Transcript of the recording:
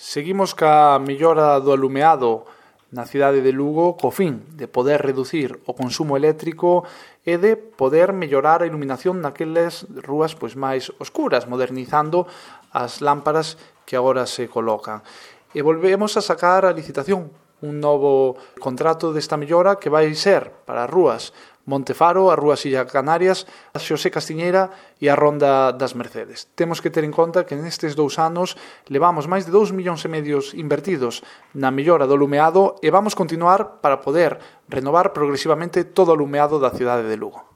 Seguimos ca mellora do alumeado na cidade de Lugo co fin de poder reducir o consumo eléctrico e de poder mellorar a iluminación naqueles rúas máis oscuras, modernizando as lámparas que agora se colocan. E volvemos a sacar a licitación un novo contrato desta mellora que vai ser para as rúas Montefaro, as rúas Illa Canarias, a Xosé Castiñeira e a Ronda das Mercedes. Temos que ter en conta que nestes 2 anos levamos máis de 2,5 millóns invertidos na mellora do alumeado e vamos continuar para poder renovar progresivamente todo o alumeado da cidade de Lugo.